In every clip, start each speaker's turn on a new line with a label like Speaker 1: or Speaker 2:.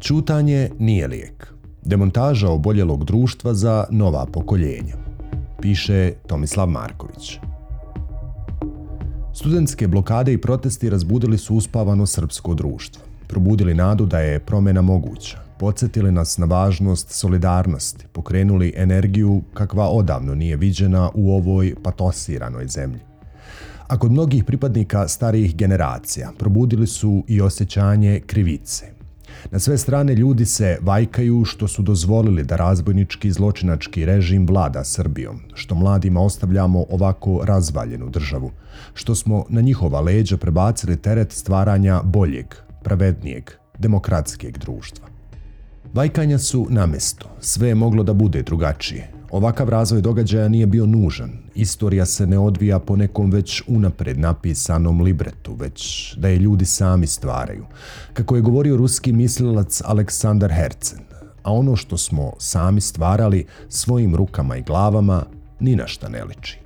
Speaker 1: Ćutanje nije lijek. Demontaža oboljelog društva za nova pokoljenja. Piše Tomislav Marković. Studentske blokade i protesti razbudili su uspavano srpsko društvo. Probudili nadu da je promjena moguća. Podsjetili nas na važnost solidarnosti. Pokrenuli energiju kakva odavno nije viđena u ovoj patosiranoj zemlji. A kod mnogih pripadnika starijih generacija probudili su i osjećanje krivice. Na sve strane ljudi se vajkaju što su dozvolili da razbojnički zločinački režim vlada Srbijom, što mladima ostavljamo ovako razvaljenu državu, što smo na njihova leđa prebacili teret stvaranja boljeg, pravednijeg, demokratskijeg društva. Vajkanja su na mjestu, sve je moglo da bude drugačije. Ovakav razvoj događaja nije bio nužan. Istorija se ne odvija po nekom već unapred napisanom libretu, već da je ljudi sami stvaraju. Kako je govorio ruski mislilac Aleksandar Hercen, a ono što smo sami stvarali svojim rukama i glavama ni na šta ne liči.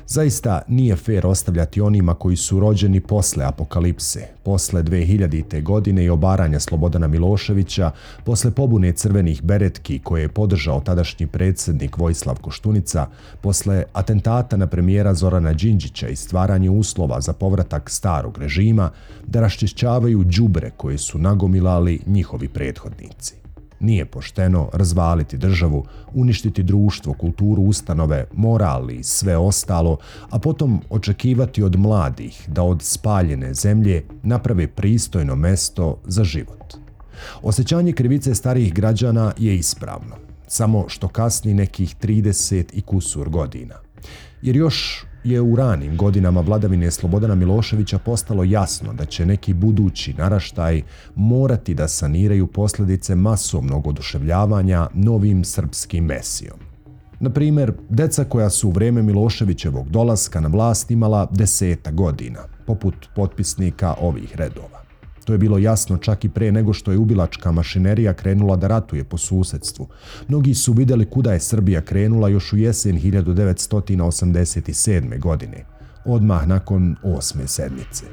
Speaker 1: Zaista nije fair ostavljati onima koji su rođeni posle apokalipse, posle 2000. godine i obaranja Slobodana Miloševića, posle pobune crvenih beretki koje je podržao tadašnji predsjednik Vojislav Koštunica, posle atentata na premijera Zorana Đinđića i stvaranje uslova za povratak starog režima, da raščišćavaju đubre koje su nagomilali njihovi prethodnici. Nije pošteno razvaliti državu, uništiti društvo, kulturu, ustanove, moral i sve ostalo, a potom očekivati od mladih da od spaljene zemlje naprave pristojno mesto za život. Osjećanje krivice starijih građana je ispravno, samo što kasni nekih 30 i kusur godina. Jer još je u ranim godinama vladavine Slobodana Miloševića postalo jasno da će neki budući naraštaj morati da saniraju posljedice masovnog oduševljavanja novim srpskim mesijom. Na primjer, deca koja su u vrijeme Miloševićevog dolaska na vlast imala 10 godina, poput potpisnika ovih redova. To je bilo jasno čak i pre nego što je ubilačka mašinerija krenula da ratuje po susedstvu. Mnogi su vidjeli kuda je Srbija krenula još u jesen 1987. godine, odmah nakon 8. sedmice.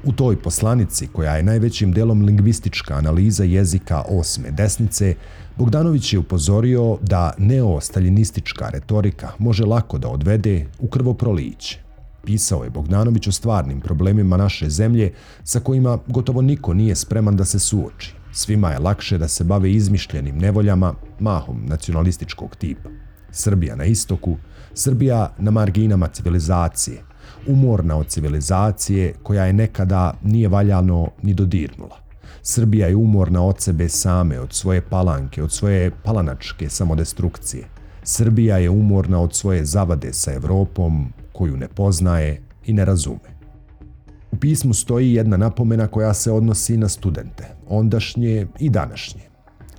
Speaker 1: U toj poslanici, koja je najvećim delom lingvistička analiza jezika 8. desnice, Bogdanović je upozorio da neostaljinistička retorika može lako da odvede u krvoproliće. Pisao je Bogdanović o stvarnim problemima naše zemlje sa kojima gotovo niko nije spreman da se suoči. Svima je lakše da se bave izmišljenim nevoljama, mahom nacionalističkog tipa. Srbija na istoku, Srbija na marginama civilizacije, umorna od civilizacije koja je nekada nije valjano ni dodirnula. Srbija je umorna od sebe same, od svoje palanke, od svoje palanačke samodestrukcije. Srbija je umorna od svoje zavade sa Evropom, koju ne poznaje i ne razume. U pismu stoji jedna napomena koja se odnosi na studente, ondašnje i današnje.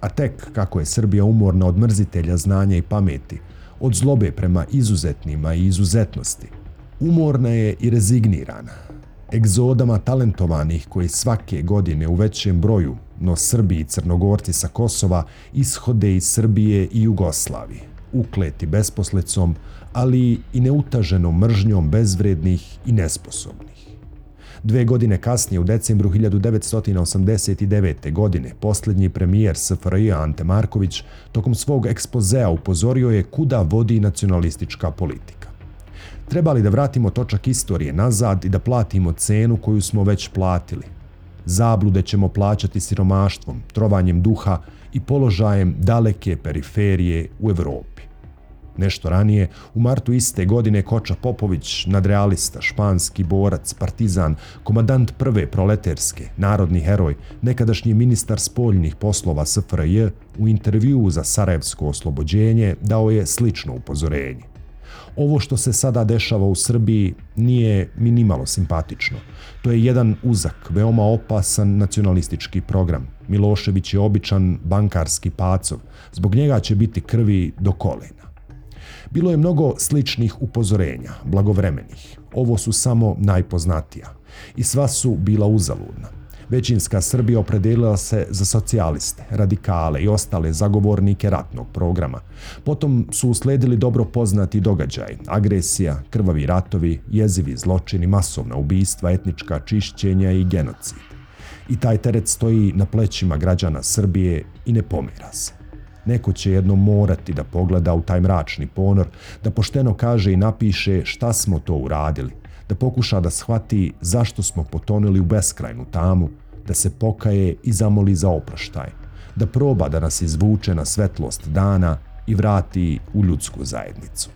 Speaker 1: A tek kako je Srbija umorna od mrzitelja znanja i pameti, od zlobe prema izuzetnima i izuzetnosti, umorna je i rezignirana, egzodama talentovanih koji svake godine u većem broju, no Srbi i Crnogorci sa Kosova, ishode iz Srbije i Jugoslavije, ukleti besposlicom, ali i neutaženom mržnjom bezvrednih i nesposobnih. 2 godine kasnije, u decembru 1989. godine, posljednji premijer SFRJ Ante Marković tokom svog ekspozea upozorio je kuda vodi nacionalistička politika. Treba li da vratimo točak istorije nazad i da platimo cenu koju smo već platili? Zablude ćemo plaćati siromaštvom, trovanjem duha i položajem daleke periferije u Evropi. Nešto ranije, u martu iste godine, Koča Popović, nadrealista, španski borac, partizan, komandant prve proleterske, narodni heroj, nekadašnji ministar spoljnih poslova SFRJ, u intervjuu za Sarajevsko oslobođenje dao je slično upozorenje. Ovo što se sada dešava u Srbiji nije minimalo simpatično. To je jedan uzak, veoma opasan nacionalistički program. Milošević je običan bankarski pacov. Zbog njega će biti krvi do kolena. Bilo je mnogo sličnih upozorenja, blagovremenih. Ovo su samo najpoznatija. I sva su bila uzaludna. Većinska Srbija opredelila se za socijaliste, radikale i ostale zagovornike ratnog programa. Potom su usledili dobro poznati događaji, agresija, krvavi ratovi, jezivi zločini, masovna ubistva, etnička čišćenja i genocid. I taj teret stoji na plećima građana Srbije i ne pomera se. Neko će jednom morati da pogleda u taj mračni ponor, da pošteno kaže i napiše šta smo to uradili, da pokuša da shvati zašto smo potonuli u beskrajnu tamu, da se pokaje i zamoli za oproštaj, da proba da nas izvuče na svetlost dana i vrati u ljudsku zajednicu.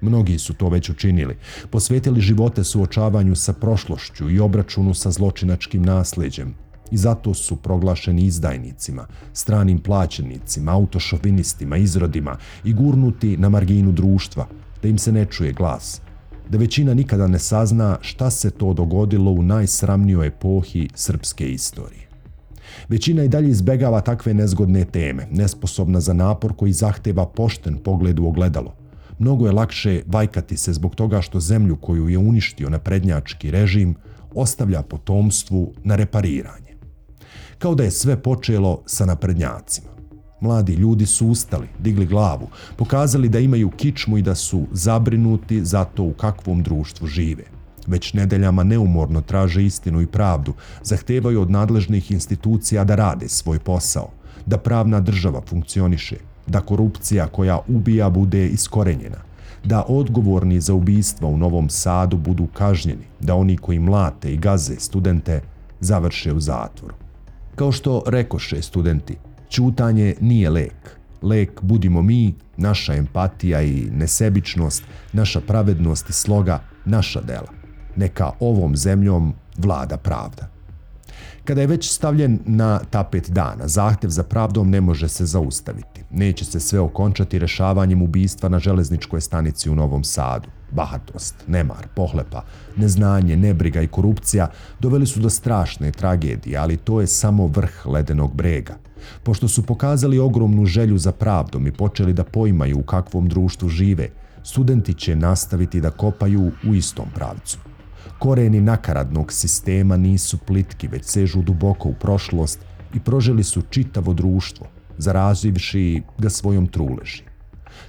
Speaker 1: Mnogi su to već učinili, posvetili živote suočavanju sa prošlošću i obračunu sa zločinačkim nasleđem i zato su proglašeni izdajnicima, stranim plaćenicima, autošovinistima, izrodima i gurnuti na marginu društva, da im se ne čuje glas, da većina nikada ne sazna šta se to dogodilo u najsramnijoj epohi srpske istorije. Većina i dalje izbegava takve nezgodne teme, nesposobna za napor koji zahteva pošten pogled u ogledalo. Mnogo je lakše vajkati se zbog toga što zemlju koju je uništio naprednjački režim ostavlja potomstvu na repariranje. Kao da je sve počelo sa naprednjacima. Mladi ljudi su ustali, digli glavu, pokazali da imaju kičmu i da su zabrinuti za to u kakvom društvu žive. Već nedeljama neumorno traže istinu i pravdu, zahtevaju od nadležnih institucija da rade svoj posao, da pravna država funkcioniše, da korupcija koja ubija bude iskorenjena, da odgovorni za ubistva u Novom Sadu budu kažnjeni, da oni koji mlate i gaze studente završe u zatvoru. Kao što rekoše studenti, ćutanje nije lek. Lek budimo mi, naša empatija i nesebičnost, naša pravednost i sloga, naša dela. Neka ovom zemljom vlada pravda. Kada je već stavljen na tapet dana, zahtev za pravdom ne može se zaustaviti. Neće se sve okončati rešavanjem ubistva na železničkoj stanici u Novom Sadu. Bahatost, nemar, pohlepa, neznanje, nebriga i korupcija doveli su do strašne tragedije, ali to je samo vrh ledenog brega. Pošto su pokazali ogromnu želju za pravdom i počeli da poimaju u kakvom društvu žive, studenti će nastaviti da kopaju u istom pravcu. Koreni nakaradnog sistema nisu plitki, već sežu duboko u prošlost i proželi su čitavo društvo, zarazivši ga svojom truleži.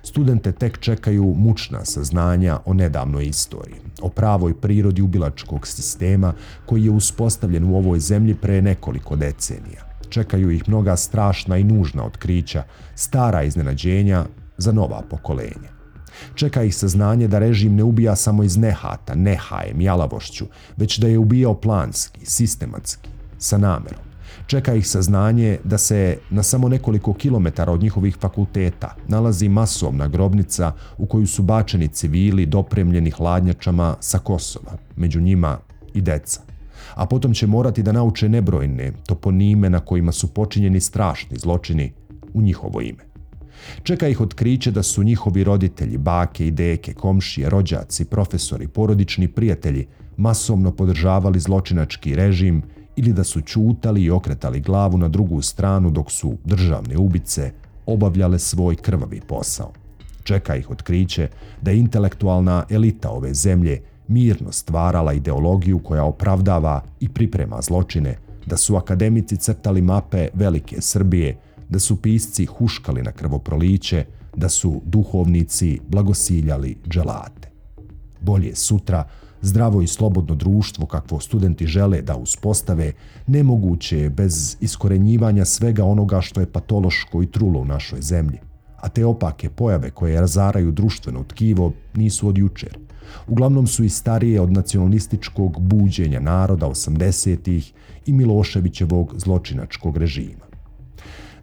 Speaker 1: Studente tek čekaju mučna saznanja o nedavnoj istoriji, o pravoj prirodi ubilačkog sistema koji je uspostavljen u ovoj zemlji pre nekoliko decenija. Čekaju ih mnoga strašna i nužna otkrića, stara iznenađenja za nova pokolenja. Čeka ih saznanje da režim ne ubija samo iz nehata, nehajem, jalavošću, već da je ubijao planski, sistematski, sa namerom. Čeka ih saznanje da se na samo nekoliko kilometara od njihovih fakulteta nalazi masovna grobnica u koju su bačeni civili dopremljeni hladnjačama sa Kosova, među njima i deca. A potom će morati da nauče nebrojne toponime na kojima su počinjeni strašni zločini u njihovo ime. Čeka ih otkriće da su njihovi roditelji, bake i deke, komšije, rođaci, profesori, porodični prijatelji masovno podržavali zločinački režim ili da su ćutali i okretali glavu na drugu stranu dok su državne ubice obavljale svoj krvavi posao. Čeka ih otkriće da je intelektualna elita ove zemlje mirno stvarala ideologiju koja opravdava i priprema zločine, da su akademici crtali mape velike Srbije, da su pisci huškali na krvoproliće, da su duhovnici blagosiljali dželate. Bolje sutra, zdravo i slobodno društvo kakvo studenti žele da uspostave, nemoguće je bez iskorenjivanja svega onoga što je patološko i trulo u našoj zemlji. A te opake pojave koje razaraju društveno tkivo nisu od jučer. Uglavnom su i starije od nacionalističkog buđenja naroda 80-ih i Miloševićevog zločinačkog režima.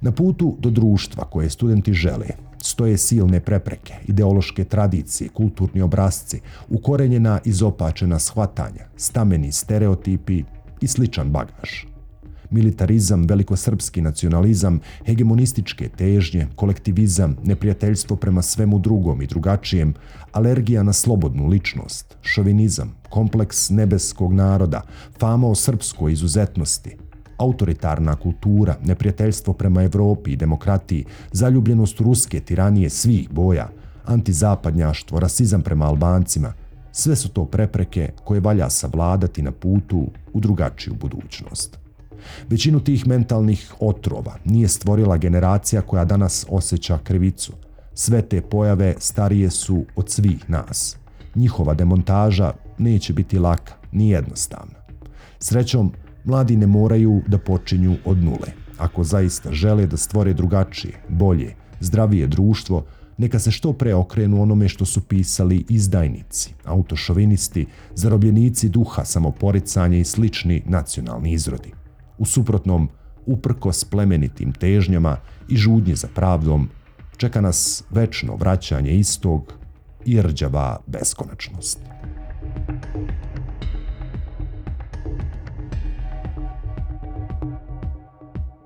Speaker 1: Na putu do društva koje studenti žele stoje silne prepreke, ideološke tradicije, kulturni obrasci, ukorenjena izopačena shvatanja, stameni stereotipi i sličan bagaž. Militarizam, velikosrpski nacionalizam, hegemonističke težnje, kolektivizam, neprijateljstvo prema svemu drugom i drugačijem, alergija na slobodnu ličnost, šovinizam, kompleks nebeskog naroda, fama o srpskoj izuzetnosti, autoritarna kultura, neprijateljstvo prema Evropi i demokratiji, zaljubljenost u ruske tiranije svih boja, antizapadnjaštvo, rasizam prema Albancima, sve su to prepreke koje valja savladati na putu u drugačiju budućnost. Većinu tih mentalnih otrova nije stvorila generacija koja danas osjeća krivicu. Sve te pojave starije su od svih nas. Njihova demontaža neće biti laka ni jednostavna. Srećom, Mladi ne moraju da počinju od nule. Ako zaista žele da stvore drugačije, bolje, zdravije društvo, neka se što pre okrenu onome što su pisali izdajnici, autošovinisti, zarobljenici duha, samoporicanje i slični nacionalni izrodi. U suprotnom, uprkos plemenitim težnjama i žudnje za pravdom, čeka nas večno vraćanje istog i rđava beskonačnost.